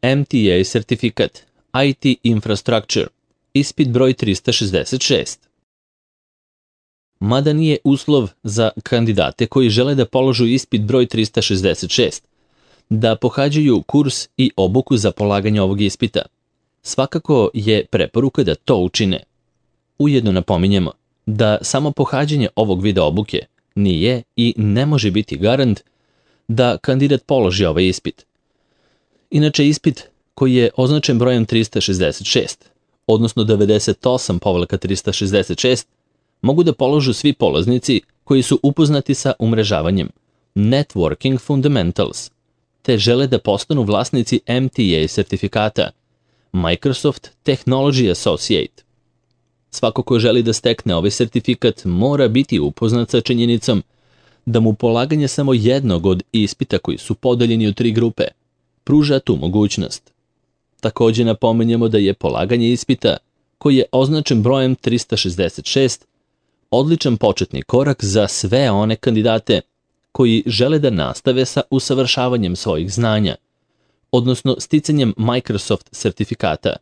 MTA sertifikat, IT Infrastructure, ispit broj 366. Mada nije uslov za kandidate koji žele da položu ispit broj 366, da pohađaju kurs i obuku za polaganje ovog ispita. Svakako je preporuka da to učine. Ujedno napominjemo da samo pohađanje ovog vida obuke nije i ne može biti garant da kandidat položi ovaj ispit. Inače, ispit koji je označen brojem 366, odnosno 98/366, mogu da položu svi polaznici koji su upoznati sa umrežavanjem, Networking Fundamentals, te žele da postanu vlasnici MTA sertifikata, Microsoft Technology Associate. Svako ko želi da stekne ovaj sertifikat mora biti upoznat sa činjenicom da mu polaganje samo jednog od ispita koji su podeljeni u 3 grupe pruža tu mogućnost. Također napominjemo da je polaganje ispita, koji je označen brojem 366, odličan početni korak za sve one kandidate koji žele da nastave sa usavršavanjem svojih znanja, odnosno sticanjem Microsoft sertifikata,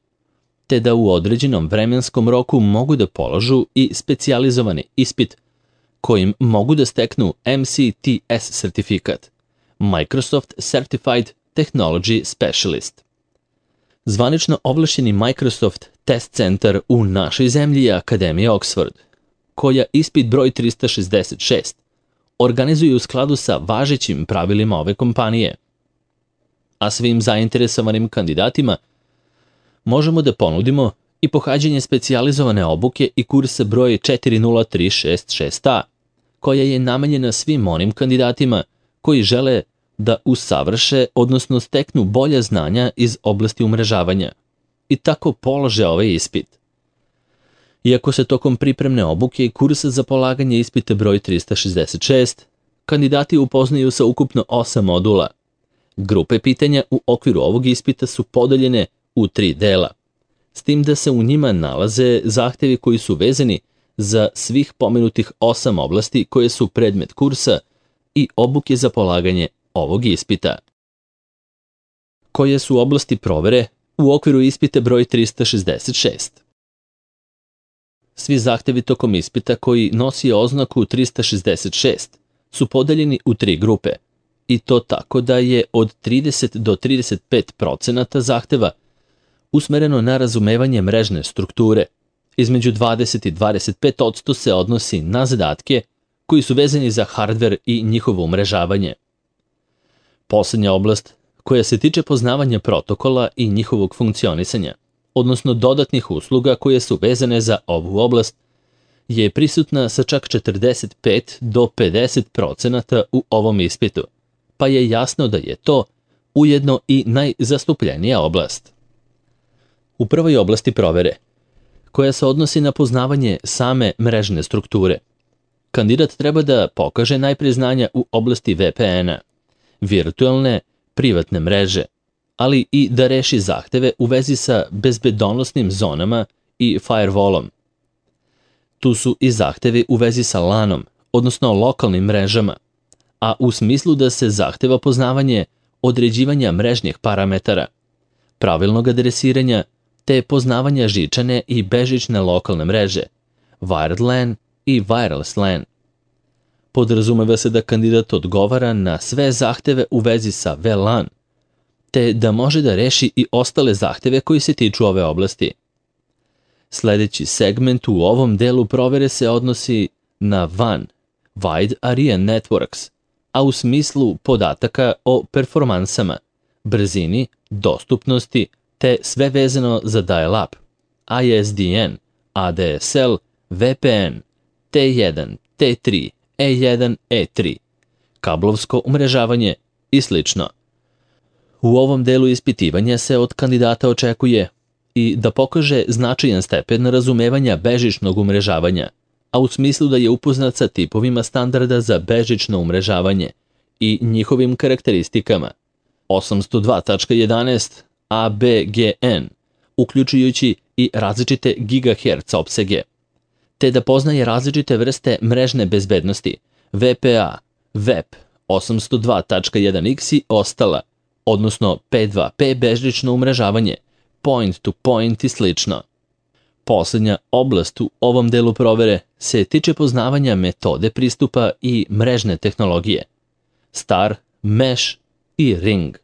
te da u određenom vremenskom roku mogu da položu i specijalizovani ispit kojim mogu da steknu MCTS sertifikat, Microsoft Certified Technology Specialist. Zvanično ovlašćeni Microsoft Test Center u našoj zemlji je Akademija Oxford, koja ispit broj 366 organizuje u skladu sa važećim pravilima ove kompanije. A svim zainteresovanim kandidatima možemo da ponudimo i pohađanje specijalizovane obuke i kursa broj 40366A, koja je namenjena svim onim kandidatima koji žele da usavrše, odnosno steknu bolja znanja iz oblasti umrežavanja i tako polože ovaj ispit. Iako se tokom pripremne obuke i kursa za polaganje ispita broj 366, kandidati upoznaju sa ukupno 8 modula. Grupe pitanja u okviru ovog ispita su podeljene u 3 dela, s tim da se u njima nalaze zahtevi koji su vezani za svih pomenutih 8 oblasti koje su predmet kursa i obuke za polaganje ovog ispita. Koje su oblasti provere u okviru ispita broj 366? Svi zahtevi tokom ispita koji nosi oznaku 366 su podeljeni u 3 grupe, i to tako da je od 30 do 35% zahteva usmereno na razumevanje mrežne strukture. Između 20 i 25% se odnosi na zadatke koji su vezani za hardver i njihovo umrežavanje. Poslednja oblast, koja se tiče poznavanja protokola i njihovog funkcionisanja, odnosno dodatnih usluga koje su vezane za ovu oblast, je prisutna sa čak 45 do 50% u ovom ispitu, pa je jasno da je to ujedno i najzastupljenija oblast. U prvoj oblasti provere, koja se odnosi na poznavanje same mrežne strukture, kandidat treba da pokaže najpre znanja u oblasti VPN-a, virtualne privatne mreže, ali i da reši zahteve u vezi sa bezbedonosnim zonama i firewallom. Tu su i zahtevi u vezi sa LAN-om, odnosno lokalnim mrežama, a u smislu da se zahteva poznavanje određivanja mrežnih parametara, pravilnog adresiranja, te poznavanja žičane i bežične lokalne mreže, wired LAN i wireless LAN. Podrazumeva se da kandidat odgovara na sve zahteve u vezi sa VLAN, te da može da reši i ostale zahteve koji se tiču ove oblasti. Sledeći segment u ovom delu provere se odnosi na WAN, Wide Area Networks, a u smislu podataka o performansama, brzini, dostupnosti, te sve vezano za dial-up, ISDN, ADSL, VPN, T1, T3, E1, E3, kablovsko umrežavanje i sl. U ovom delu ispitivanja se od kandidata očekuje i da pokaže značajan stepen razumevanja bežičnog umrežavanja, a u smislu da je upoznat sa tipovima standarda za bežično umrežavanje i njihovim karakteristikama 802.11 ABGN, uključujući i različite gigahertz opsege, te da poznaje različite vrste mrežne bezbednosti, VPA, VEP, 802.1x i ostala, odnosno P2P bežlično umrežavanje, point to point i slično. Posljednja oblast u ovom delu provere se tiče poznavanja metode pristupa i mrežne tehnologije, star, mesh i ring.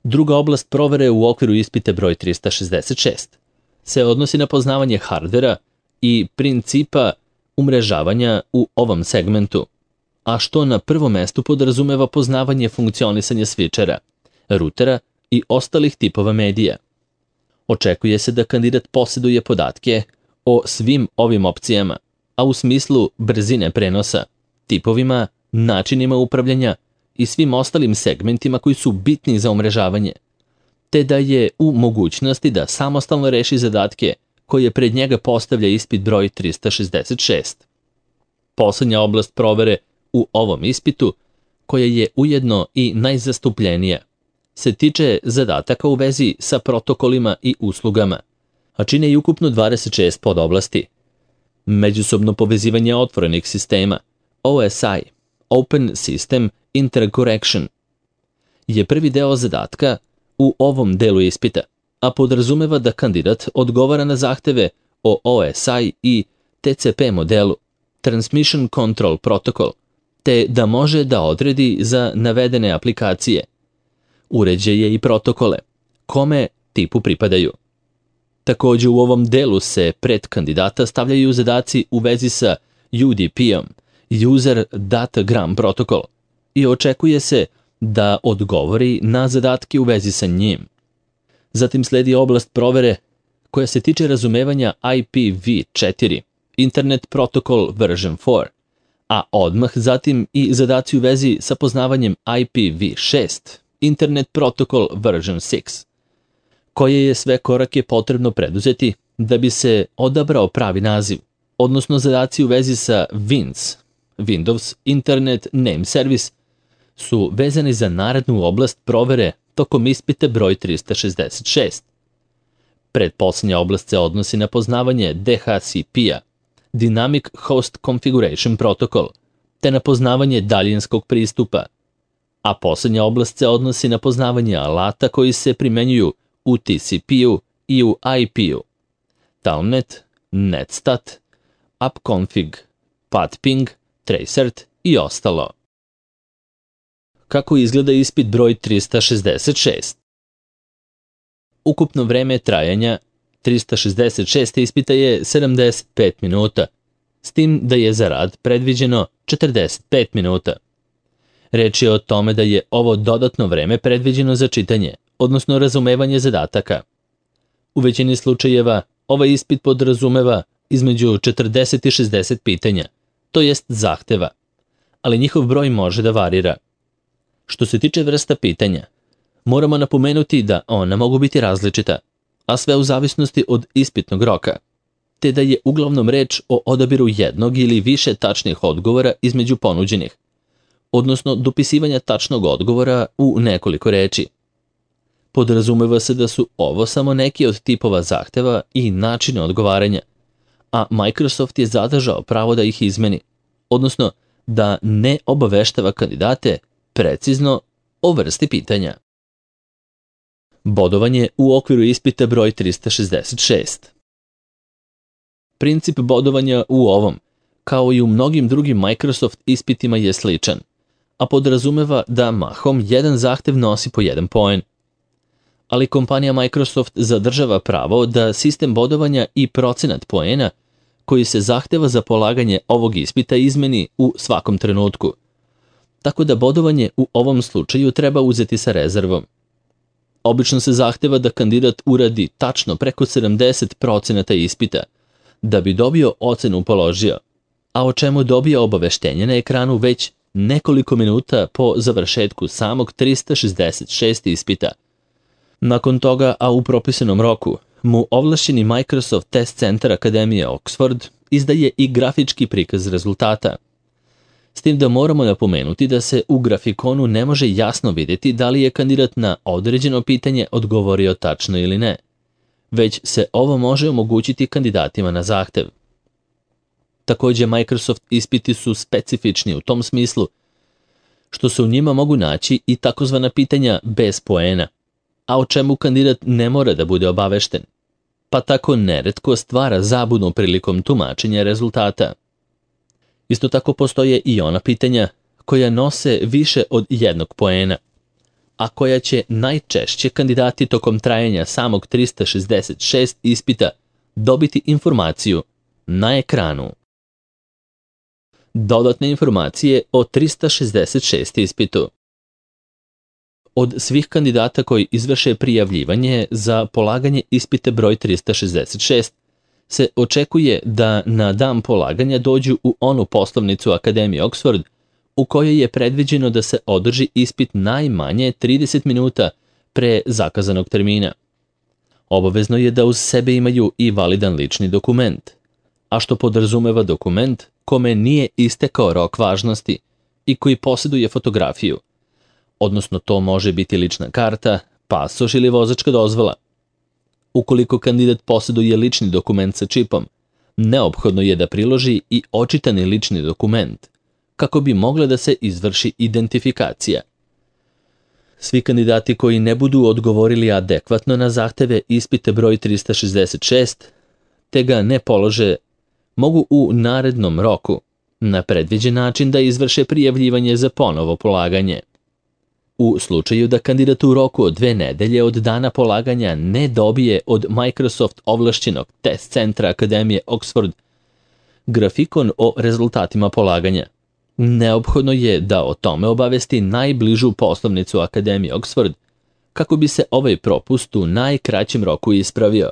Druga oblast provere u okviru ispita broj 366 se odnosi na poznavanje hardvera i principa umrežavanja u ovom segmentu, a što na prvom mestu podrazumeva poznavanje funkcionisanja switchera, rutera i ostalih tipova medija. Očekuje se da kandidat posjeduje podatke o svim ovim opcijama, a u smislu brzine prenosa, tipovima, načinima upravljanja i svim ostalim segmentima koji su bitni za umrežavanje, te da je u mogućnosti da samostalno reši zadatke koje pred njega postavlja ispit broj 366. Poslednja oblast provere u ovom ispitu, koja je ujedno i najzastupljenija, se tiče zadataka u vezi sa protokolima i uslugama, a čine i ukupno 26 podoblasti. Međusobno povezivanje otvorenih sistema, OSI, Open System Interconnection, je prvi deo zadatka u ovom delu ispita, a podrazumeva da kandidat odgovara na zahteve o OSI i TCP modelu, Transmission Control Protocol, te da može da odredi za navedene aplikacije, uređaje i protokole, kome tipu pripadaju. Također u ovom delu se pred kandidata stavljaju zadaci u vezi sa UDP-om, User Datagram Protocol, i očekuje se da odgovori na zadatke u vezi sa njim. Zatim sledi oblast provere koja se tiče razumevanja IPv4, Internet Protocol version 4, a odmah zatim i zadaci u vezi sa poznavanjem IPv6, Internet Protocol version 6, koje je sve korake potrebno preduzeti da bi se odabrao pravi naziv, odnosno zadaci u vezi sa WINS, Windows Internet Name Service, su vezani za narednu oblast provere tokom ispita broj 366. Pretposlednja oblast se odnosi na poznavanje DHCP-a, Dynamic Host Configuration Protocol, te na poznavanje daljinskog pristupa, a posljednja oblast se odnosi na poznavanje alata koji se primenjuju u TCP-u i u IP-u, Telnet, Netstat, Upconfig, Pathping, Tracert i ostalo. Kako izgleda ispit broj 366? Ukupno vreme trajanja 366. ispita je 75 minuta, s tim da je za rad predviđeno 45 minuta. Reč je o tome da je ovo dodatno vreme predviđeno za čitanje, odnosno razumevanje zadataka. U većini slučajeva ovaj ispit podrazumeva između 40 i 60 pitanja, to jest zahteva, ali njihov broj može da varira. Što se tiče vrsta pitanja, moramo napomenuti da ona mogu biti različita, a sve u zavisnosti od ispitnog roka, te da je uglavnom reč o odabiru jednog ili više tačnih odgovora između ponuđenih, odnosno dopisivanja tačnog odgovora u nekoliko reči. Podrazumeva se da su ovo samo neki od tipova zahteva i načina odgovaranja, a Microsoft je zadržao pravo da ih izmeni, odnosno da ne obaveštava kandidate precizno o vrsti pitanja. Bodovanje u okviru ispita broj 366. Princip bodovanja u ovom, kao i u mnogim drugim Microsoft ispitima, je sličan, a podrazumeva da mahom jedan zahtev nosi po 1 poen. Ali kompanija Microsoft zadržava pravo da sistem bodovanja i procenat poena koji se zahteva za polaganje ovog ispita izmeni u svakom trenutku, tako da bodovanje u ovom slučaju treba uzeti sa rezervom. Obično se zahteva da kandidat uradi tačno preko 70% ispita da bi dobio ocenu položio, a o čemu dobija obaveštenje na ekranu već nekoliko minuta po završetku samog 366. ispita. Nakon toga, a u propisanom roku, mu ovlašćeni Microsoft Test Center Akademije Oxford izdaje i grafički prikaz rezultata. S tim da moramo napomenuti da se u grafikonu ne može jasno vidjeti da li je kandidat na određeno pitanje odgovorio tačno ili ne, već se ovo može omogućiti kandidatima na zahtev. Također, Microsoft ispiti su specifični u tom smislu što se u njima mogu naći i takozvana pitanja bez poena, a o čemu kandidat ne mora da bude obavešten, pa tako neretko stvara zabunu prilikom tumačenja rezultata. Isto tako postoje i ona pitanja koja nose više od jednog poena, a koja će najčešće kandidati tokom trajanja samog 366 ispita dobiti informaciju na ekranu. Dodatne informacije o 366 ispitu. Od svih kandidata koji izvrše prijavljivanje za polaganje ispita broj 366 se očekuje da na dan polaganja dođu u onu poslovnicu Akademije Oxford u kojoj je predviđeno da se održi ispit najmanje 30 minuta pre zakazanog termina. Obavezno je da uz sebe imaju i validan lični dokument, a što podrazumeva dokument kome nije istekao rok važnosti i koji posjeduje fotografiju, odnosno to može biti lična karta, pasoš ili vozačka dozvola. Ukoliko kandidat posjeduje lični dokument sa čipom, neophodno je da priloži i očitani lični dokument, kako bi mogla da se izvrši identifikacija. Svi kandidati koji ne budu odgovorili adekvatno na zahteve ispita broj 366, te ga ne polože, mogu u narednom roku na predviđen način da izvrše prijavljivanje za ponovo polaganje. U slučaju da kandidat u roku od 2 nedelje od dana polaganja ne dobije od Microsoft ovlašćenog test centra Akademije Oxford grafikon o rezultatima polaganja, neophodno je da o tome obavesti najbližu poslovnicu Akademije Oxford kako bi se ovaj propust u najkraćem roku ispravio.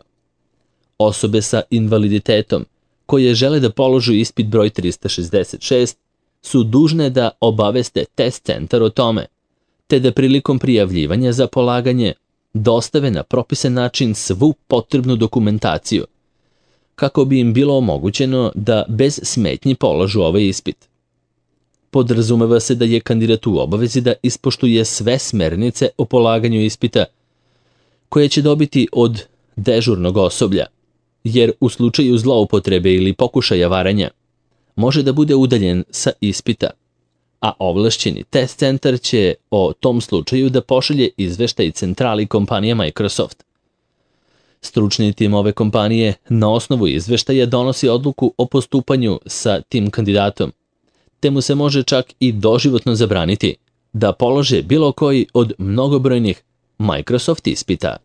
Osobe sa invaliditetom koje žele da položu ispit broj 366 su dužne da obaveste test centar o tome, te da prilikom prijavljivanja za polaganje dostave na propisan način svu potrebnu dokumentaciju, kako bi im bilo omogućeno da bez smetnji položu ovaj ispit. Podrazumeva se da je kandidat u obavezi da ispoštuje sve smernice o polaganju ispita koje će dobiti od dežurnog osoblja, jer u slučaju zloupotrebe ili pokušaja varanja može da bude udaljen sa ispita, a ovlašćeni test centar će o tom slučaju da pošalje izveštaj centrali kompanije Microsoft. Stručni tim ove kompanije na osnovu izveštaja donosi odluku o postupanju sa tim kandidatom, te mu se može čak i doživotno zabraniti da polože bilo koji od mnogobrojnih Microsoft ispita.